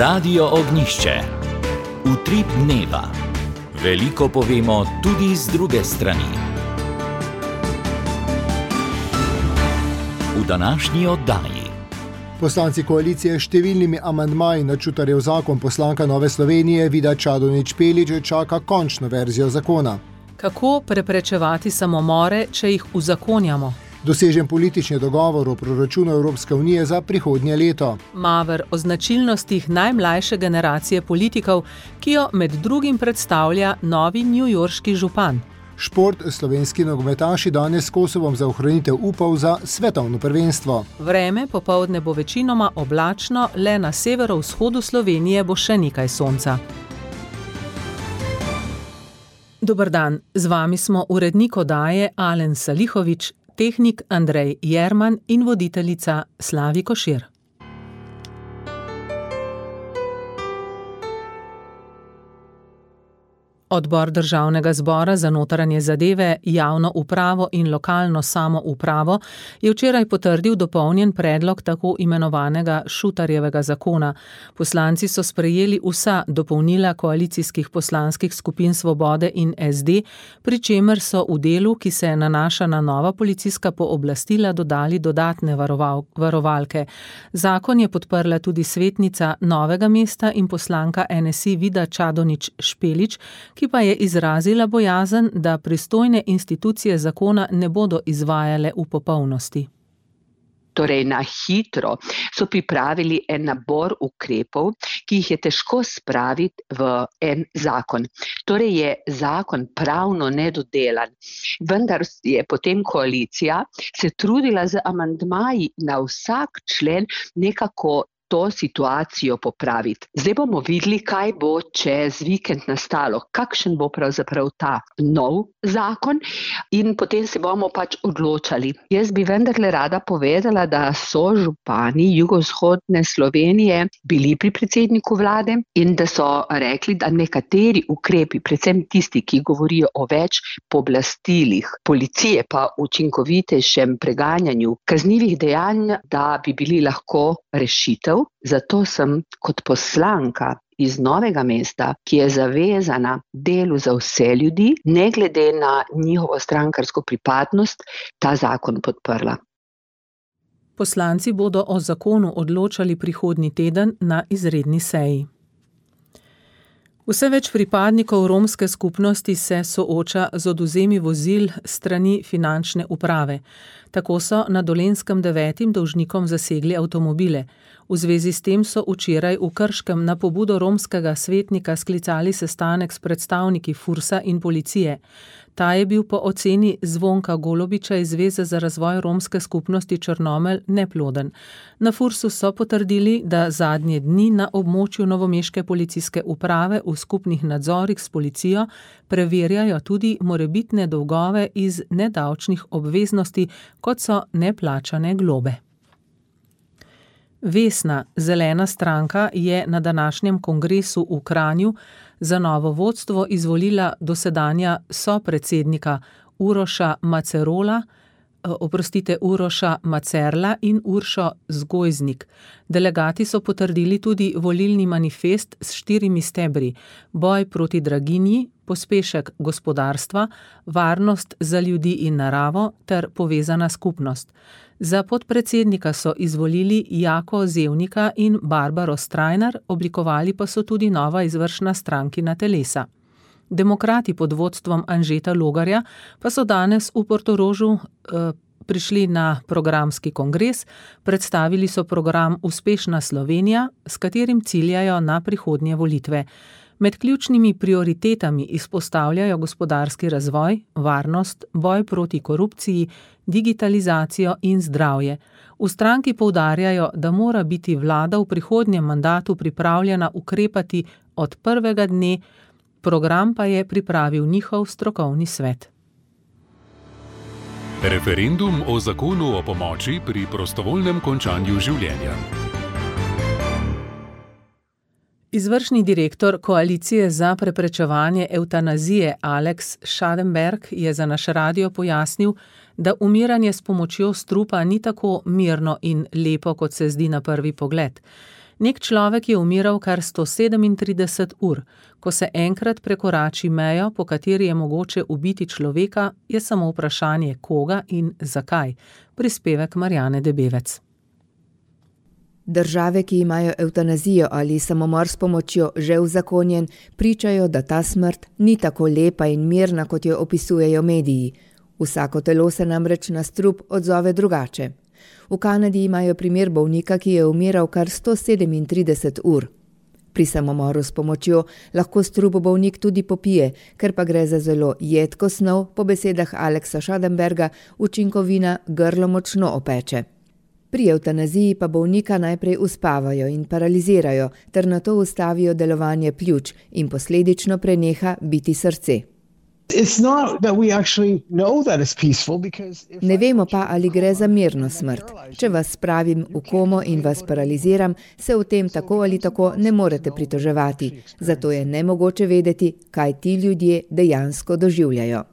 Radio Ognjišče. Utrip dneva. Veliko povemo tudi z druge strani. V današnji oddaji. Poslanci koalicije s številnimi amandmaji na Čutarjev zakon poslanka Nove Slovenije Vida Čadonič Špelič čaka končno verzijo zakona. Kako preprečevati samomore, če jih uzakonjamo? Dosežen politični dogovor o proračunu Evropske unije za prihodnje leto. Maver o značilnostih najmlajše generacije politikov, ki jo med drugim predstavlja novi newyorški župan. Šport, slovenski nogometaši danes s Kosovom za ohranitev upov za svetovno prvenstvo. Vreme popoldne bo večinoma oblačno, le na severovzhodu Slovenije bo še nekaj sonca. Dober dan, z vami smo urednik oddaje Alen Salihovič, tehnik Andrej Jerman in voditeljica Slavi Košir. Odbor Državnega zbora za notranje zadeve, javno upravo in lokalno samoupravo je včeraj potrdil dopolnjen predlog tako imenovanega Šutarjevega zakona. Poslanci so sprejeli vsa dopolnila koalicijskih poslanskih skupin Svobode in SD, pri čemer so v delu, ki se nanaša na nova policijska pooblastila, dodali dodatne varovalke. Zakon je podprla tudi svetnica Novega mesta in poslanka NSI Vida Čadonič Špelič, ki pa je izrazila bojazen, da pristojne institucije zakona ne bodo izvajale v popolnosti. Torej, na hitro so pripravili en nabor ukrepov, ki jih je težko spraviti v en zakon. Torej je zakon pravno nedodelan, vendar je potem koalicija se trudila z amandmaji na vsak člen nekako to situacijo popraviti. Zdaj bomo videli, kaj bo čez vikend nastalo, kakšen bo pravzaprav ta nov zakon in potem se bomo pač odločali. Jaz bi vendarle rada povedala, da so župani jugovzhodne Slovenije bili pri predsedniku vlade in da so rekli, da nekateri ukrepi, predvsem tisti, ki govorijo o več pooblastilih policije pa učinkovitejšem preganjanju kaznivih dejanj, da bi bili lahko rešitev. Zato sem kot poslanka iz Novega mesta, ki je zavezana delu za vse ljudi, ne glede na njihovo strankarsko pripadnost, ta zakon podprla. Poslanci bodo o zakonu odločali prihodnji teden na izredni seji. Vse več pripadnikov romske skupnosti se sooča z odvzemi vozil strani finančne uprave. Tako so na Dolenjskem 9 dolžnikom zasegli avtomobile. V zvezi s tem so včeraj v Krškem na pobudo romskega svetnika sklicali sestanek s predstavniki Fursa in policije. Ta je bil po oceni Zvonka Golobiča iz Zveze za razvoj romske skupnosti Črnomelj neploden. Na Fursu so potrdili, da zadnje dni na območju novomeške policijske uprave v skupnih nadzorih s policijo preverjajo tudi morebitne dolgove iz nedavčnih obveznosti, kot so neplačane globe. Vesna, zelena stranka, je na današnjem kongresu v Kranju za novo vodstvo izvolila dosedanja sopredsednika Uroša Macerla in Uršo Zgojznik. Delegati so potrdili tudi volilni manifest s 4 stebri: boj proti draginji, pospešek gospodarstva, varnost za ljudi in naravo ter povezana skupnost. Za podpredsednika so izvolili Jako Zevnika in Barbaro Strajnar, oblikovali pa so tudi nova izvršna strankina telesa. Demokrati pod vodstvom Anžeta Logarja pa so danes v Portorožu prišli na programski kongres, predstavili so program Uspešna Slovenija, s katerim ciljajo na prihodnje volitve. Med ključnimi prioritetami izpostavljajo gospodarski razvoj, varnost, boj proti korupciji, digitalizacijo in zdravje. V stranki poudarjajo, da mora biti vlada v prihodnjem mandatu pripravljena ukrepati od prvega dne, program pa je pripravil njihov strokovni svet. Referendum o zakonu o pomoči pri prostovoljnem končanju življenja. Izvršni direktor Koalicije za preprečevanje evtanazije Alex Schadenberg je za naš radio pojasnil, da umiranje s pomočjo strupa ni tako mirno in lepo, kot se zdi na prvi pogled. Nek človek je umiral kar 137 ur. Ko se enkrat prekorači mejo, po kateri je mogoče ubiti človeka, je samo vprašanje koga in zakaj. Prispevek Marjane Debevec. Države, ki imajo evtanazijo ali samomor s pomočjo že uzakonjen, pričajo, da ta smrt ni tako lepa in mirna, kot jo opisujejo mediji. Vsako telo se namreč na strup odzove drugače. V Kanadi imajo primer bolnika, ki je umiral kar 137 ur. Pri samomoru s pomočjo lahko strup bolnik tudi popije, ker pa gre za zelo jedko snov, po besedah Alexa Schadenberga učinkovina grlo močno opeče. Pri evtanaziji pa bolnika najprej uspavajo in paralizirajo, ter nato ustavijo delovanje pljuč in posledično preneha biti srce. Ne vemo pa, ali gre za mirno smrt. Če vas spravim v komo in vas paraliziram, se v tem tako ali tako ne morete pritoževati. Zato je nemogoče vedeti, kaj ti ljudje dejansko doživljajo.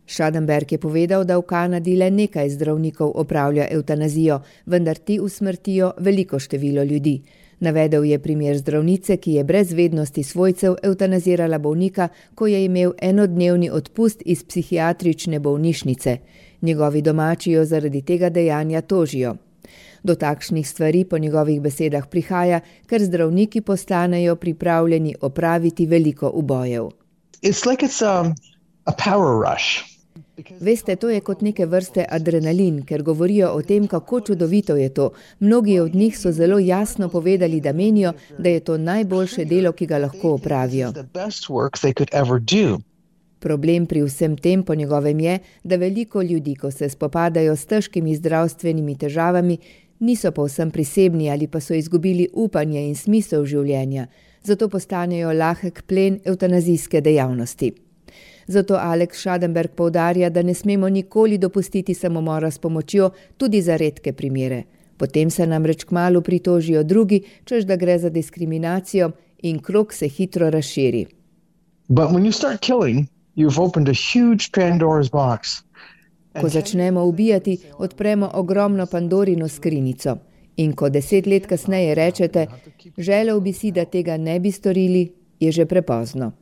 Schadenberg je povedal, da v Kanadi le nekaj zdravnikov opravlja evtanazijo, vendar ti usmrtijo veliko število ljudi. Navedel je primer zdravnice, ki je brez vednosti svojcev evtanazirala bolnika, ko je imel enodnevni odpust iz psihiatrične bolnišnice. Njegovi domači jo zaradi tega dejanja tožijo. Do takšnih stvari po njegovih besedah prihaja, ker zdravniki postanejo pripravljeni opraviti veliko ubojev. Veste, to je kot neke vrste adrenalin, ker govorijo o tem, kako čudovito je to. Mnogi od njih so zelo jasno povedali, da menijo, da je to najboljše delo, ki ga lahko opravijo. Problem pri vsem tem po njegovem je, da veliko ljudi, ko se spopadajo s težkimi zdravstvenimi težavami, niso povsem prisebni ali pa so izgubili upanje in smisel življenja, zato postanejo lahek plen evtanazijske dejavnosti. Zato Alex Schadenberg poudarja, da ne smemo nikoli dopustiti samomora s pomočjo, tudi za redke primere. Potem se namreč kmalu pritožijo drugi, češ da gre za diskriminacijo in krog se hitro razširi. Ko začnemo ubijati, odpremo ogromno Pandorino skrinjico. In ko 10 let kasneje rečete, želel bi si, da tega ne bi storili, je že prepozno.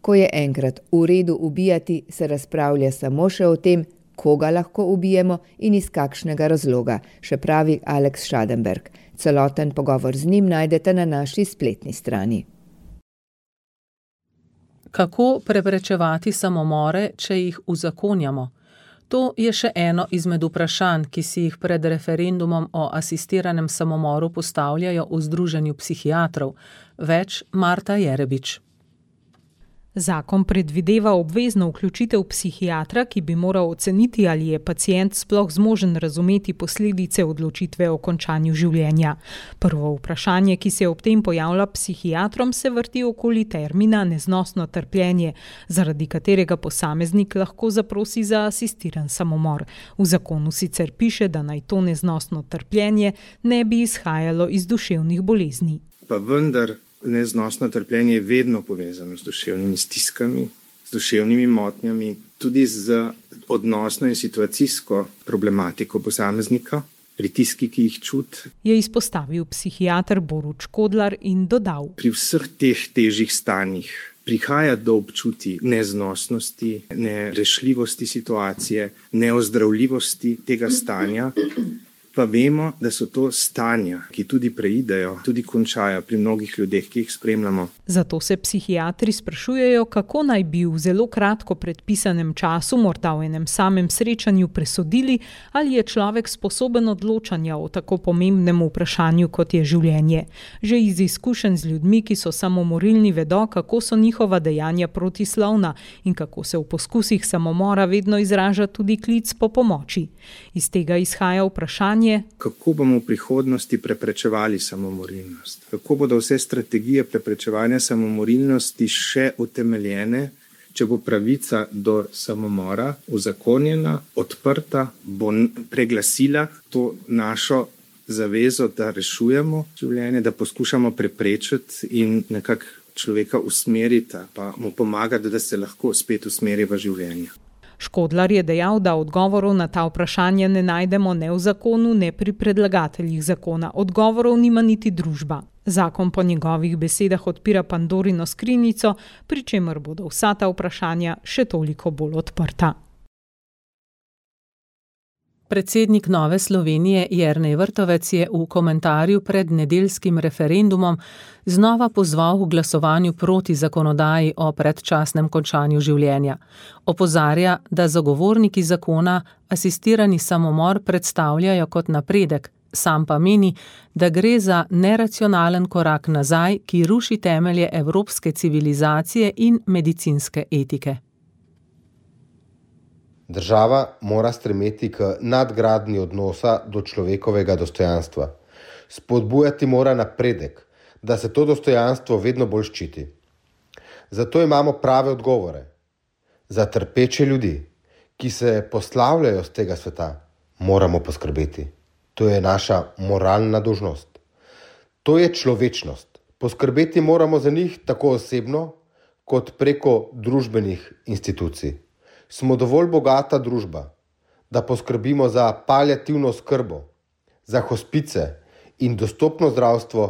Ko je enkrat v redu ubijati, se razpravlja samo še o tem, koga lahko ubijemo in iz kakšnega razloga, še pravi Alex Schadenberg. Celoten pogovor z njim najdete na naši spletni strani. Kako preprečevati samomore, če jih uzakonjamo? To je še eno izmed vprašanj, ki si jih pred referendumom o asistiranem samomoru postavljajo v Združenju psihiatrov. Več Marta Jerebič. Zakon predvideva obvezno vključitev psihiatra, ki bi moral oceniti, ali je pacient sploh zmožen razumeti posledice odločitve o končanju življenja. Prvo vprašanje, ki se ob tem pojavlja psihiatrom, se vrti okoli termina neznosno trpljenje, zaradi katerega posameznik lahko zaprosi za asistiran samomor. V zakonu sicer piše, da naj to neznosno trpljenje ne bi izhajalo iz duševnih bolezni. Pa vendar neznosno trpljenje je vedno povezano z duševnimi stiskami, z duševnimi motnjami, tudi z odnosno in situacijsko problematiko posameznika, pritiski, ki jih čuti. Je izpostavil psihiater Borut Škodlar in dodal: Pri vseh teh težjih stanjih prihaja do občutij neznosnosti, nerešljivosti situacije, neozdravljivosti tega stanja. Pa vemo, da so to stanja, ki tudi preidejo, tudi končajo pri mnogih ljudeh, ki jih spremljamo. Zato se psihiatri sprašujejo, kako naj bi v zelo kratko predpisanem času, morda v enem samem srečanju, presodili, ali je človek sposoben odločanja o tako pomembnem vprašanju, kot je življenje. Že iz izkušenj z ljudmi, ki so samomorilni, vedo, kako so njihova dejanja protislovna in kako se v poskusih samomora vedno izraža tudi klic po pomoči. Iz tega izhaja vprašanje, kako bomo v prihodnosti preprečevali samomorilnost? Kako bodo vse strategije preprečevanja samomorilnosti še utemeljene, če bo pravica do samomora uzakonjena, odprta, bo preglasila to našo zavezo, da rešujemo življenje, da poskušamo preprečiti in nekako človeka usmeriti, pa mu pomagati, da se lahko spet usmeri v življenje. Škodlar je dejal, da odgovorov na ta vprašanja ne najdemo ne v zakonu, ne pri predlagateljih zakona. Odgovorov nima niti družba. Zakon po njegovih besedah odpira Pandorino skrinjico, pri čemer bodo vsa ta vprašanja še toliko bolj odprta. Predsednik Nove Slovenije Jernej Vrtovec je v komentarju pred nedeljskim referendumom znova pozval k glasovanju proti zakonodaji o predčasnem končanju življenja. Opozarja, da zagovorniki zakona asistirani samomor predstavljajo kot napredek, sam pa meni, da gre za neracionalen korak nazaj, ki ruši temelje evropske civilizacije in medicinske etike. Država mora stremeti k nadgradnji odnosa do človekovega dostojanstva. Spodbujati mora napredek, da se to dostojanstvo vedno bolj ščiti. Zato imamo prave odgovore. Za trpeče ljudi, ki se poslavljajo z tega sveta, moramo poskrbeti. To je naša moralna dolžnost. To je človečnost. Poskrbeti moramo za njih tako osebno, kot preko družbenih institucij. Smo dovolj bogata družba, da poskrbimo za paliativno oskrbo, za hospice in dostopno zdravstvo,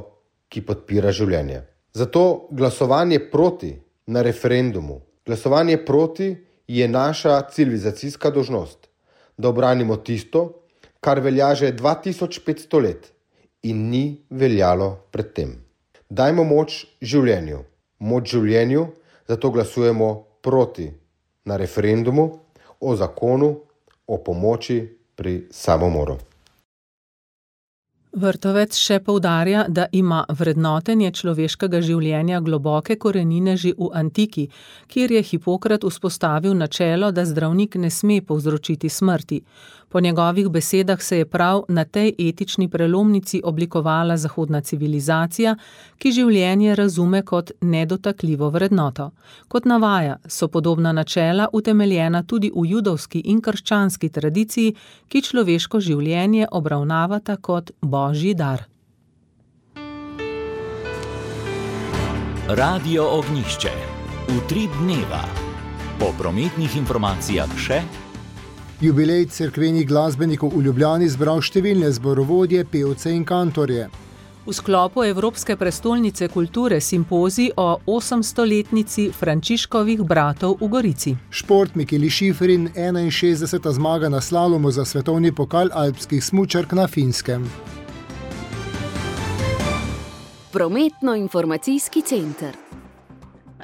ki podpira življenje. Zato glasovanje proti na referendumu, glasovanje proti je naša civilizacijska dolžnost, da obranimo tisto, kar velja že 2500 let in ni veljalo predtem. Dajmo moč življenju, zato glasujemo proti na referendumu o zakonu o pomoči pri samomoru. Vrtovec še poudarja, da ima vrednotenje človeškega življenja globoke korenine že v antiki, kjer je Hipokrat vzpostavil načelo, da zdravnik ne sme povzročiti smrti. Po njegovih besedah se je prav na tej etični prelomnici oblikovala zahodna civilizacija, ki življenje razume kot nedotakljivo vrednoto. Kot navaja, so podobna načela utemeljena tudi v judovski in krščanski tradiciji, ki človeško življenje obravnavata kot božji dar. Radio Ognjišče. Utrip dneva. Po prometnih informacijah še Jubilej cerkvenih glasbenikov v Ljubljani zbral številne zborovodje, pevce in kantorje. V sklopu Evropske prestolnice kulture simpozij o 800-letnici Frančiškovih bratov v Gorici. Šport Mikeli Šifrin, 61. zmaga na slalomu za svetovni pokal alpskih smučark na Finskem. Prometno-informacijski center.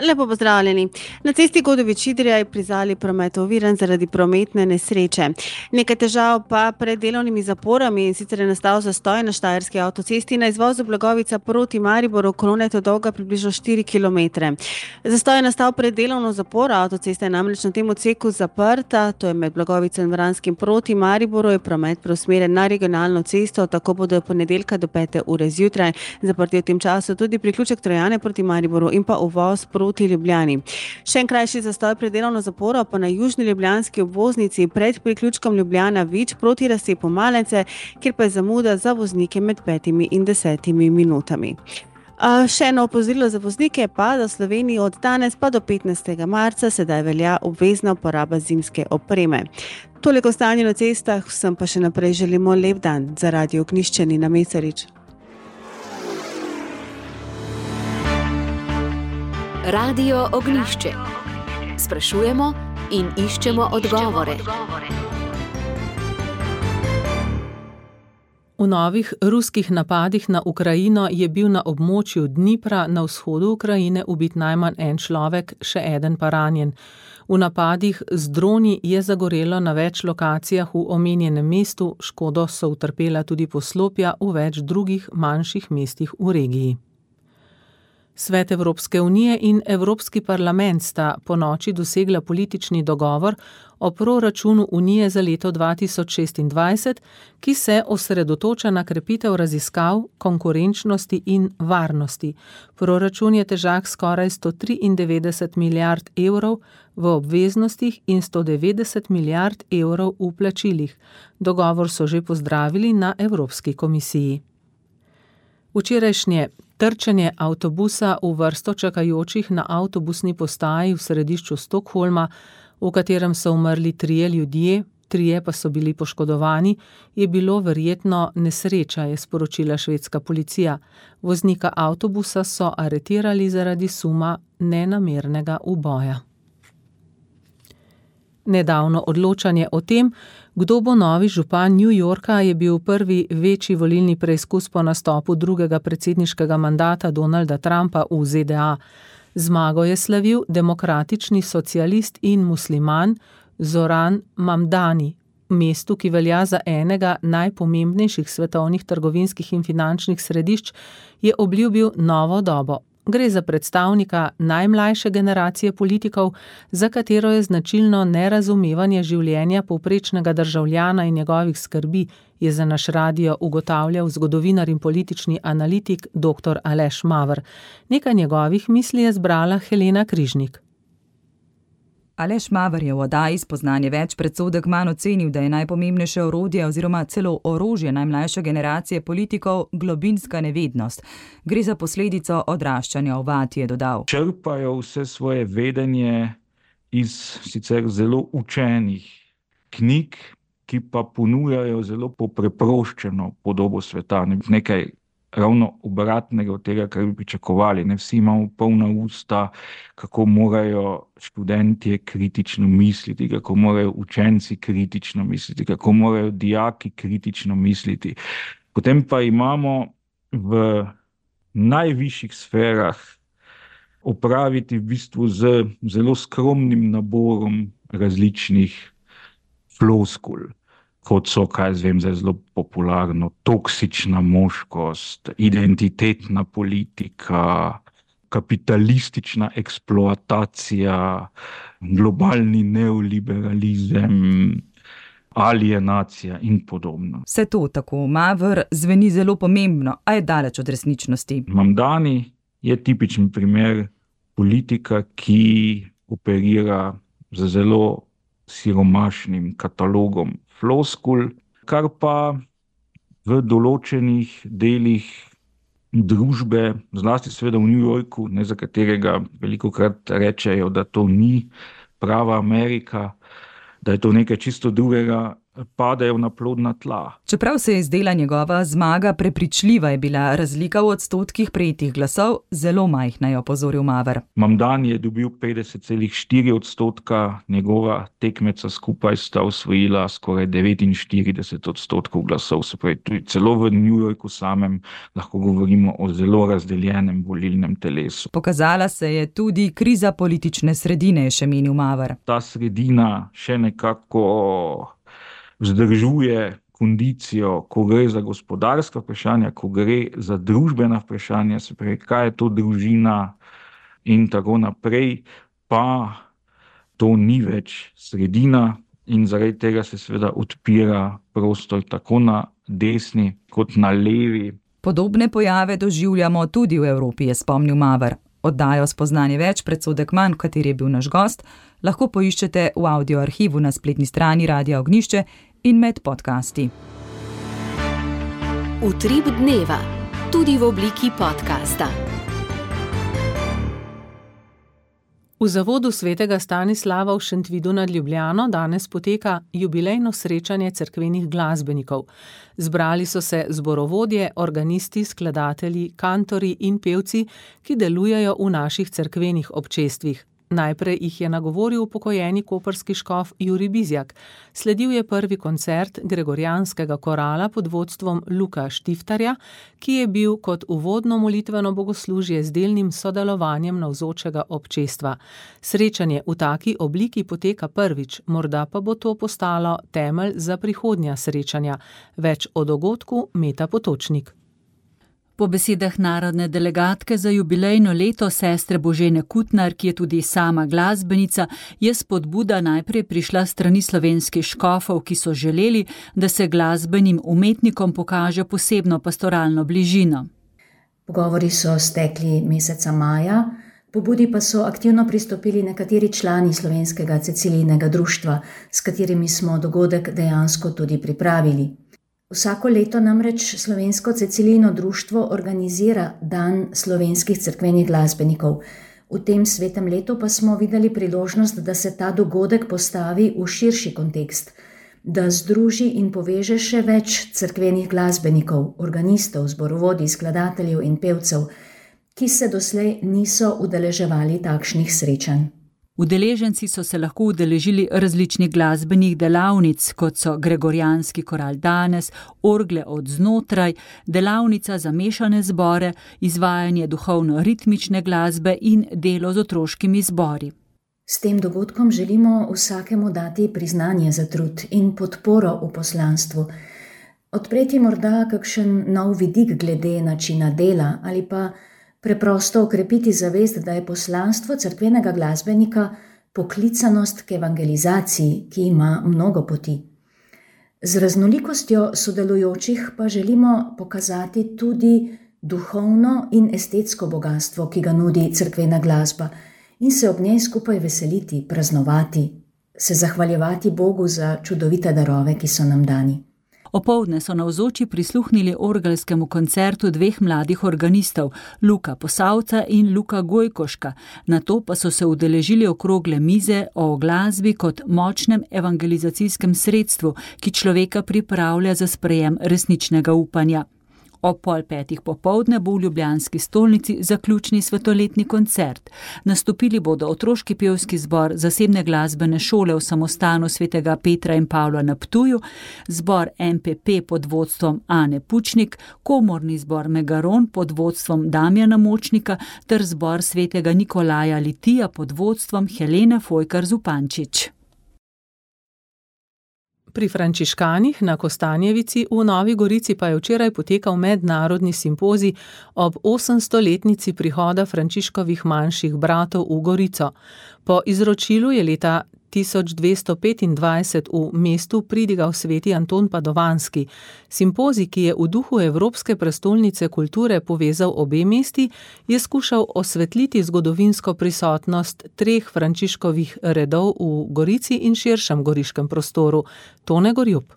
Lepo pozdravljeni. Na cesti Godovič-Idrija je pri Zali promet oviran zaradi prometne nesreče. Nekaj težav pa pred delovnimi zaporami, in sicer je nastal zastoj na Štajerski avtocesti na izvozu Blagovica proti Mariboru, kolona je dolga približno 4 km. Zastoj je nastal pred delovno zaporo, avtocesta je namreč na tem odseku zaprta, to je med Blagovico in Vranskim proti Mariboru, je promet preusmerjen na regionalno cesto, tako bodo ponedeljka do 5. ure zjutraj zaprti v tem času tudi priključek Trojane proti Mariboru in pa uvoz proti Ljubljani. Še en krajši zastoj pred delovno zaporo pa na južni ljubljanski obvoznici pred priključkom Ljubljana Vič proti razcepu Malence, kjer pa je zamuda za voznike med 5 in 10 minutami. Še eno opozorilo za voznike pa, da v Sloveniji od danes pa do 15. marca sedaj velja obvezna uporaba zimske opreme. Toliko o stanju na cestah, vsem pa še naprej želimo lep dan. Za Radio Ognjišče Nina Mesarič. Radio Ognjišče. Sprašujemo in iščemo odgovore. V novih ruskih napadih na Ukrajino je bil na območju Dnipra na vzhodu Ukrajine ubit najmanj en človek, še eden pa ranjen. V napadih z droni je zagorelo na več lokacijah v omenjenem mestu, škodo so utrpela tudi poslopja v več drugih manjših mestih v regiji. Svet Evropske unije in Evropski parlament sta ponoči dosegla politični dogovor o proračunu Unije za leto 2026, ki se osredotoča na krepitev raziskav, konkurenčnosti in varnosti. Proračun je težak skoraj 193 milijard evrov v obveznostih in 190 milijard evrov v plačilih. Dogovor so že pozdravili na Evropski komisiji. Včerajšnje trčenje avtobusa v vrsto čakajočih na avtobusni postaji v središču Stockholma v katerem so umrli 3 ljudje, 3 pa so bili poškodovani, je bilo verjetno nesreča, je sporočila švedska policija. Voznika avtobusa so aretirali zaradi suma nenamernega uboja. Nedavno odločanje o tem, kdo bo novi župan New Yorka, je bil prvi večji volilni preizkus po nastopu drugega predsedniškega mandata Donalda Trumpa v ZDA. Zmago je slavil demokratični socialist in musliman Zoran Mamdani, mestu, ki velja za enega najpomembnejših svetovnih trgovinskih in finančnih središč, je obljubil novo dobo. Gre za predstavnika najmlajše generacije politikov, za katero je značilno nerazumevanje življenja povprečnega državljana in njegovih skrbi, je za naš radio ugotavljal zgodovinar in politični analitik dr. Aleš Maver. Nekaj njegovih misli je zbrala Helena Križnik. Aleš Maver je v oddaji Spoznanje več predsodek manj ocenil, da je najpomembnejše orodje oziroma celo orožje najmlajše generacije politikov globinska nevednost. Gre za posledico odraščanja v vati, je dodal. Črpajo vse svoje vedenje iz sicer zelo učenih knjig, ki pa ponujajo zelo preproščeno podobo sveta. Nekaj ravno obratnega od tega, kar bi pričakovali. Vsi imamo polna usta, kako morajo študentje kritično misliti, kako morajo učenci kritično misliti, kako morajo dijaki kritično misliti. Potem pa imamo v najvišjih sferah opraviti v bistvu z zelo skromnim naborom različnih floskul, kot so, zelo popularno, toksična moškost, identitetna politika, kapitalistična eksploatacija, globalni neoliberalizem, alienacija in podobno. Vse to, tako Maver, zveni zelo pomembno, a je daleč od resničnosti. Mamdani je tipičen primer politika, ki operira z zelo siromašnim katalogom floskul, kar pa v določenih delih družbe, zlasti seveda v New Yorku, za katerega velikokrat rečejo, da to ni prava Amerika, da je to nekaj čisto drugega, padajo na plodna tla. Čeprav se je zdela njegova zmaga prepričljiva, je bila razlika v odstotkih prejetih glasov zelo majhna, je opozoril Maver. Mamdani je dobil 50,4%, njegova tekmeca skupaj sta osvojila skoraj 49% glasov. Se pravi, tudi celo v New Yorku samem lahko govorimo o zelo razdeljenem volilnem telesu. Pokazala se je tudi kriza politične sredine, je še menil Maver. Ta sredina še nekako vzdržuje kondicijo, ko gre za gospodarska vprašanja, ko gre za družbena vprašanja, se pravi, kaj je to družina in tako naprej, pa to ni več sredina in zaradi tega se seveda odpira prostor tako na desni kot na levi. Podobne pojave doživljamo tudi v Evropi, je spomnil Maver. Oddajo Spoznanje več predsodek manj, v kateri je bil naš gost, lahko poiščete v audioarhivu na spletni strani Radia Ognjišče in med podcasti. Utrip dneva, tudi v obliki podcasta. V zavodu svetega Stanislava v Šentvidu nad Ljubljano danes poteka jubilejno srečanje cerkvenih glasbenikov. Zbrali so se zborovodje, organisti, skladatelji, kantorji in pevci, ki delujejo v naših cerkvenih občestvih. Najprej jih je nagovoril upokojeni koprski škof Jurij Bizjak. Sledil je prvi koncert gregorijanskega korala pod vodstvom Luka Štiftarja, ki je bil kot uvodno molitveno bogoslužje z delnim sodelovanjem navzočega občestva. Srečanje v taki obliki poteka prvič, morda pa bo to postalo temelj za prihodnja srečanja. Več o dogodku Meta Potočnik. Po besedah narodne delegatke za jubilejno leto sestre Božene Kutnar, ki je tudi sama glasbenica, je spodbuda najprej prišla strani slovenskih škofov, ki so želeli, da se glasbenim umetnikom pokaže posebno pastoralno bližino. Pogovori so stekli meseca maja, pobudi pa so aktivno pristopili nekateri člani slovenskega Cecilijinega društva, s katerimi smo dogodek dejansko tudi pripravili. Vsako leto namreč slovensko Cecilijino društvo organizira dan slovenskih cerkvenih glasbenikov. V tem svetem letu pa smo videli priložnost, da se ta dogodek postavi v širši kontekst, da združi in poveže še več cerkvenih glasbenikov, organistov, zborovodij, skladateljev in pevcev, ki se doslej niso udeleževali takšnih srečanj. Udeleženci so se lahko udeležili različnih glasbenih delavnic, kot so Gregorijanski koral danes, orgle od znotraj, delavnica za mešane zbore, izvajanje duhovno-ritmične glasbe in delo z otroškimi zbori. S tem dogodkom želimo vsakemu dati priznanje za trud in podporo v poslanstvu, odpreti morda kakšen nov vidik glede načina dela ali pa preprosto okrepiti zavest, da je poslanstvo cerkvenega glasbenika poklicanost k evangelizaciji, ki ima mnogo poti. Z raznolikostjo sodelujočih pa želimo pokazati tudi duhovno in estetsko bogatstvo, ki ga nudi cerkvena glasba, in se ob njej skupaj veseliti, praznovati, se zahvaljevati Bogu za čudovite darove, ki so nam dani. Opoldne so navzoči prisluhnili orgelskemu koncertu dveh mladih organistov, Luka Posavca in Luka Gojkoška, nato pa so se udeležili okrogle mize o glasbi kot močnem evangelizacijskem sredstvu, ki človeka pripravlja za sprejem resničnega upanja. Ob 4:30 popoldne bo v ljubljanski stolnici zaključni svetoletni koncert. Nastopili bodo otroški pevski zbor zasebne glasbene šole v samostanu svetega Petra in Pavla na Ptuju, zbor MPP pod vodstvom Ane Pučnik, komorni zbor Megaron pod vodstvom Damjana Močnika ter zbor svetega Nikolaja Litija pod vodstvom Helene Fojkar-Zupančič. Pri frančiškanih na Kostanjevici v Novi Gorici pa je včeraj potekal mednarodni simpozij ob 800-letnici prihoda Frančiškovih manjših bratov v Gorico. Po izročilu je leta 1225 v mestu pridigal sveti Anton Padovanski. Simpozij, ki je v duhu Evropske prestolnice kulture povezal obe mesti, je skušal osvetliti zgodovinsko prisotnost 3 Frančiškovih redov v Gorici in širšem goriškem prostoru. Tone Gorjup.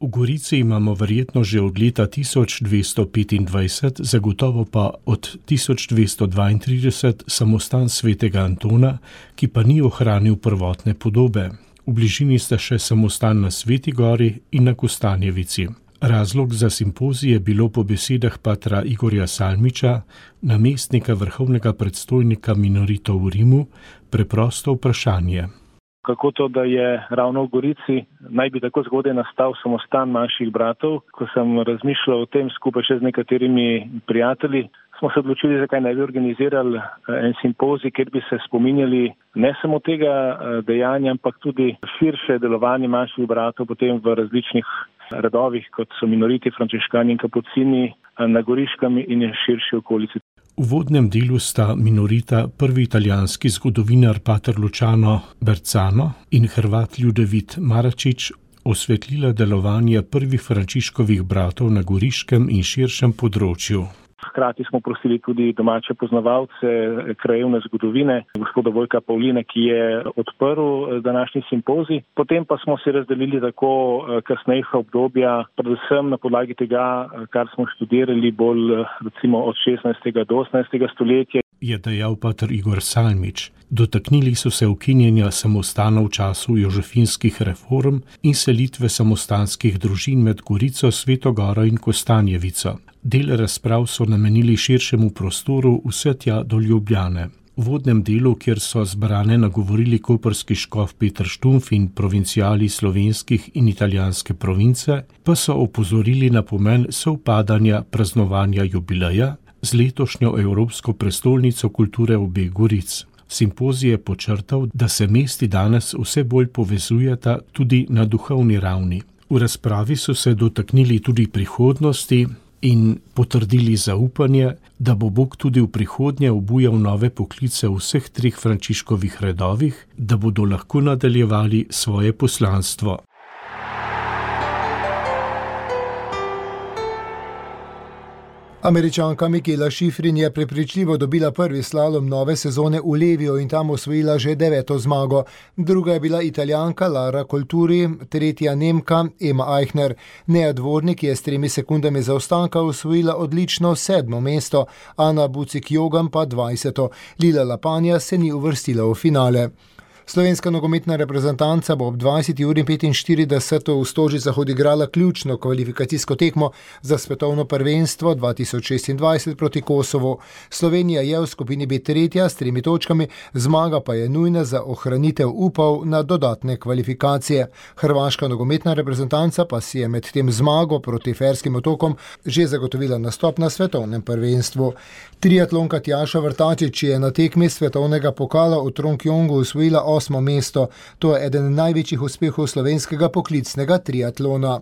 V Gorici imamo verjetno že od leta 1225, zagotovo pa od 1232 samostan svetega Antona, ki pa ni ohranil prvotne podobe. V bližini sta še samostan na Sveti Gori in na Kostanjevici. Razlog za simpozij je bilo po besedah patra Igorja Salmiča, namestnika vrhovnega predstojnika minoritov v Rimu, preprosto vprašanje. Kako to, da je ravno v Gorici naj bi tako zgodaj nastal samostan manjših bratov? Ko sem razmišljal o tem skupaj še z nekaterimi prijatelji, smo se odločili, zakaj ne bi organizirali en simpozij, kjer bi se spominjali ne samo tega dejanja, ampak tudi širše delovanje manjših bratov potem v različnih redovih, kot so minoriti, frančiškani in kapucini na Goriškem in širši okolici. V uvodnem delu sta minorita prvi italijanski zgodovinar pater Luciano Berzano in Hrvat Ljudevit Maračič osvetlila delovanje prvih Frančiškovih bratov na Goriškem in širšem področju. Hkrati smo prosili tudi domače poznavalce krajevne zgodovine, gospoda Vojka Pavlina, ki je odprl današnji simpozij. Potem pa smo se razdelili tako kasnejša obdobja, predvsem na podlagi tega, kar smo študirali bolj recimo od 16. do 18. stoletja. Je dejal pater Igor Salmič. Dotaknili so se ukinjanja samostana v času jožefinskih reform in selitve samostanskih družin med Gorico, Sveto Goro in Kostanjevico. Del razprav so namenili širšemu prostoru vse tja do Ljubljane. V vodnem delu, kjer so zbrane nagovorili koprski škof Peter Štumf in provincijali slovenskih in italijanske province, pa so opozorili na pomen sovpadanja praznovanja jubileja z letošnjo Evropsko prestolnico kulture obeh Goric. Simpozij je počrtal, da se mesti danes vse bolj povezujeta tudi na duhovni ravni. V razpravi so se dotaknili tudi prihodnosti in potrdili zaupanje, da bo Bog tudi v prihodnje obujal nove poklice v vseh 3 Frančiškovih redovih, da bodo lahko nadaljevali svoje poslanstvo. Američanka Mikaela Shiffrin je prepričljivo dobila prvi slalom nove sezone v Leviju in tam osvojila že 9. zmago. Druga je bila Italijanka Lara Colturi, tretja Nemka Ema Eichner. Nea Dvornik je s 3 sekundami zaostanka osvojila odlično 7. mesto, Ana Bucik-Jogan pa 20. Lila Lapanja se ni uvrstila v finale. Slovenska nogometna reprezentanca bo ob 20:45 v Stožicah odigrala ključno kvalifikacijsko tekmo za svetovno prvenstvo 2026 proti Kosovu. Slovenija je v skupini B tretja s 3 točkami, zmaga pa je nujna za ohranitev upov na dodatne kvalifikacije. Hrvaška nogometna reprezentanca pa si je med tem zmago proti Ferskim otokom že zagotovila nastop na svetovnem prvenstvu. Triatlonka Tjaša Vrtačič je na tekmi svetovnega pokala v Trongjongu osvojila 8. mesto. To je eden največjih uspehov slovenskega poklicnega triatlona.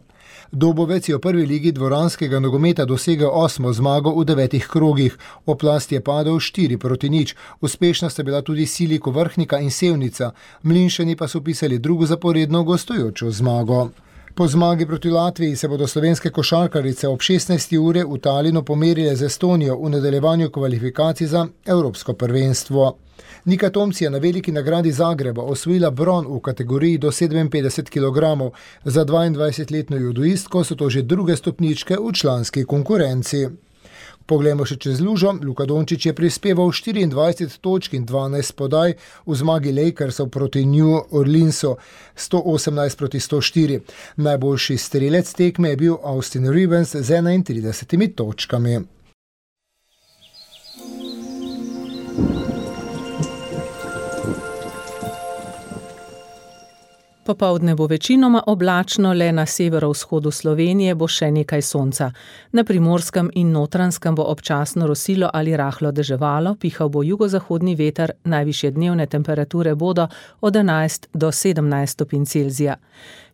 Dobovec je v prvi ligi dvoranskega nogometa dosegel 8. zmago v 9 krogih. Oplast je padel 4-0. Uspešna sta bila tudi Siliko Vrhnika in Sevnica. Mlinšani pa so pisali drugo zaporedno gostujočo zmago. Po zmagi proti Latviji se bodo slovenske košarkarice ob 16. ure v Talinu pomerile z Estonijo v nadaljevanju kvalifikacij za Evropsko prvenstvo. Nika Tomc je na veliki nagradi Zagreba osvojila bron v kategoriji do 57 kg. Za 22-letno judoistko so to že druge stopničke v članski konkurenci. Poglejmo še čez lužo. Luka Dončić je prispeval 24 točk in 12 podaj v zmagi Lakersov proti New Orleansu 118-104. Najboljši strelec tekme je bil Austin Rivens z 31 točkami. Popoldne bo večinoma oblačno, le na severovzhodu Slovenije bo še nekaj sonca. Na Primorskem in Notranjskem bo občasno rosilo ali rahlo deževalo, pihal bo jugozahodni veter, najvišje dnevne temperature bodo od 11 do 17 stopinj Celzija.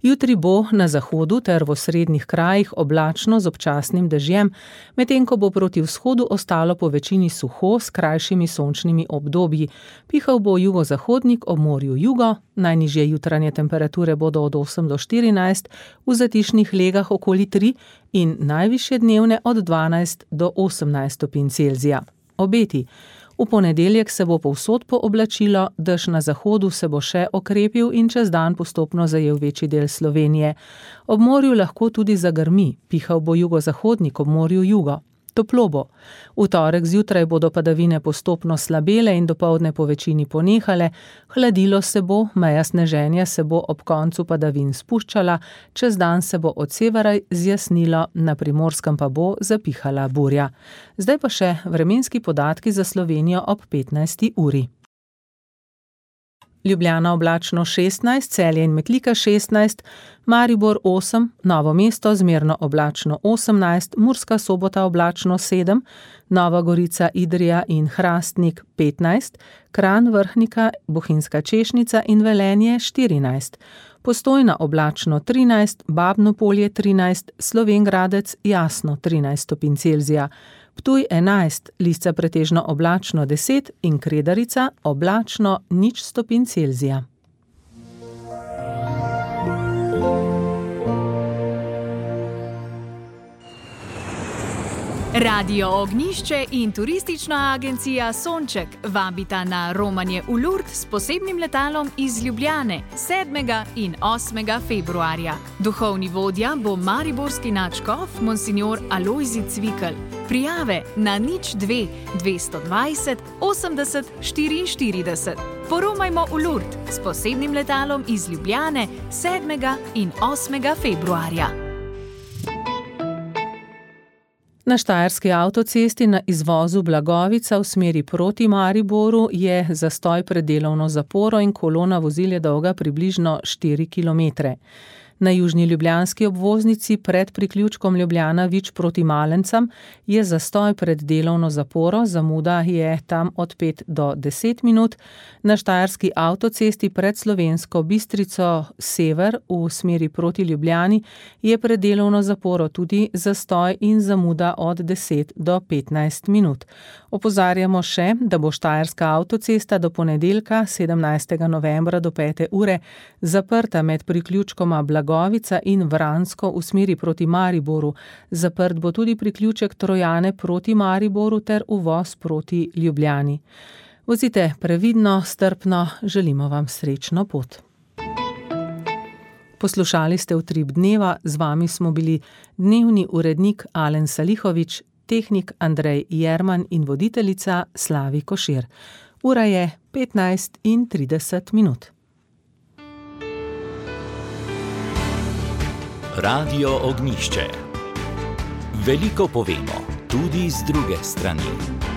Jutri bo na zahodu ter v osrednjih krajih oblačno z občasnim dežjem, medtem ko bo proti vzhodu ostalo po večini suho s krajšimi sončnimi obdobji. Pihal bo jugozahodnik ob morju jugo, najnižje jutranje temperature bodo od 8 do 14, v zatišnih legah okoli 3 in najvišje dnevne od 12 do 18 stopinj Celzija. Obeti. V ponedeljek se bo povsod pooblačilo, dež na zahodu se bo še okrepil in čez dan postopno zajel večji del Slovenije. Ob morju lahko tudi zagrmi, pihal bo jugozahodnik ob morju jugo. Toplo bo. V torek zjutraj bodo padavine postopno slabele in dopoldne po večini ponehale, hladilo se bo, meja sneženja se bo ob koncu padavin spuščala, čez dan se bo od severa zjasnilo, na Primorskem pa bo zapihala burja. Zdaj pa še vremenski podatki za Slovenijo ob 15. uri. Ljubljana oblačno 16, Celje in Metlika 16, Maribor 8, Novo mesto zmerno oblačno 18, Murska Sobota oblačno 7, Nova Gorica, Idrija in Hrastnik 15, Kranj, Vrhnika, Bohinjska Češnica in Velenje 14, Postojna oblačno 13, Babno Polje 13, Slovenj Gradec jasno 13 stopinj Celzija, Ptuj 11, Lisca pretežno oblačno 10 in Kredarica oblačno 0 stopinj Celzija. Radio Ognjišče in turistična agencija Sonček vabita na romanje v Lourdes s posebnim letalom iz Ljubljane 7. in 8. februarja. Duhovni vodja bo mariborski nadškof monsignor Alojzij Cvikl. Prijave na 02 220 80 44. Poromajmo v Lourdes s posebnim letalom iz Ljubljane 7. in 8. februarja. Na Štajerski avtocesti na izvozu Blagovica v smeri proti Mariboru je zastoj pred delovno zaporo in kolona vozil je dolga približno 4 km. Na južni ljubljanski obvoznici pred priključkom Ljubljana-Vič proti Malencam je zastoj pred delovno zaporo, zamuda je tam od 5 do 10 minut. Na Štajerski avtocesti pred Slovensko Bistrico sever v smeri proti Ljubljani je pred delovno zaporo tudi zastoj in zamuda od 10 do 15 minut. Opozarjamo še, da bo Štajerska avtocesta do ponedeljka 17. novembra do 5. ure zaprta med priključkoma Blagovica Blagovica in Vransko v smeri proti Mariboru. Zaprt bo tudi priključek Trojane proti Mariboru ter uvoz proti Ljubljani. Vozite previdno, strpno, želimo vam srečno pot. Poslušali ste Utrip dneva, z vami smo bili dnevni urednik Alen Salihovič, tehnik Andrej Jerman in voditeljica Slavi Košir. Ura je 15:30. Radio Ognjišče. Veliko povemo, tudi z druge strani.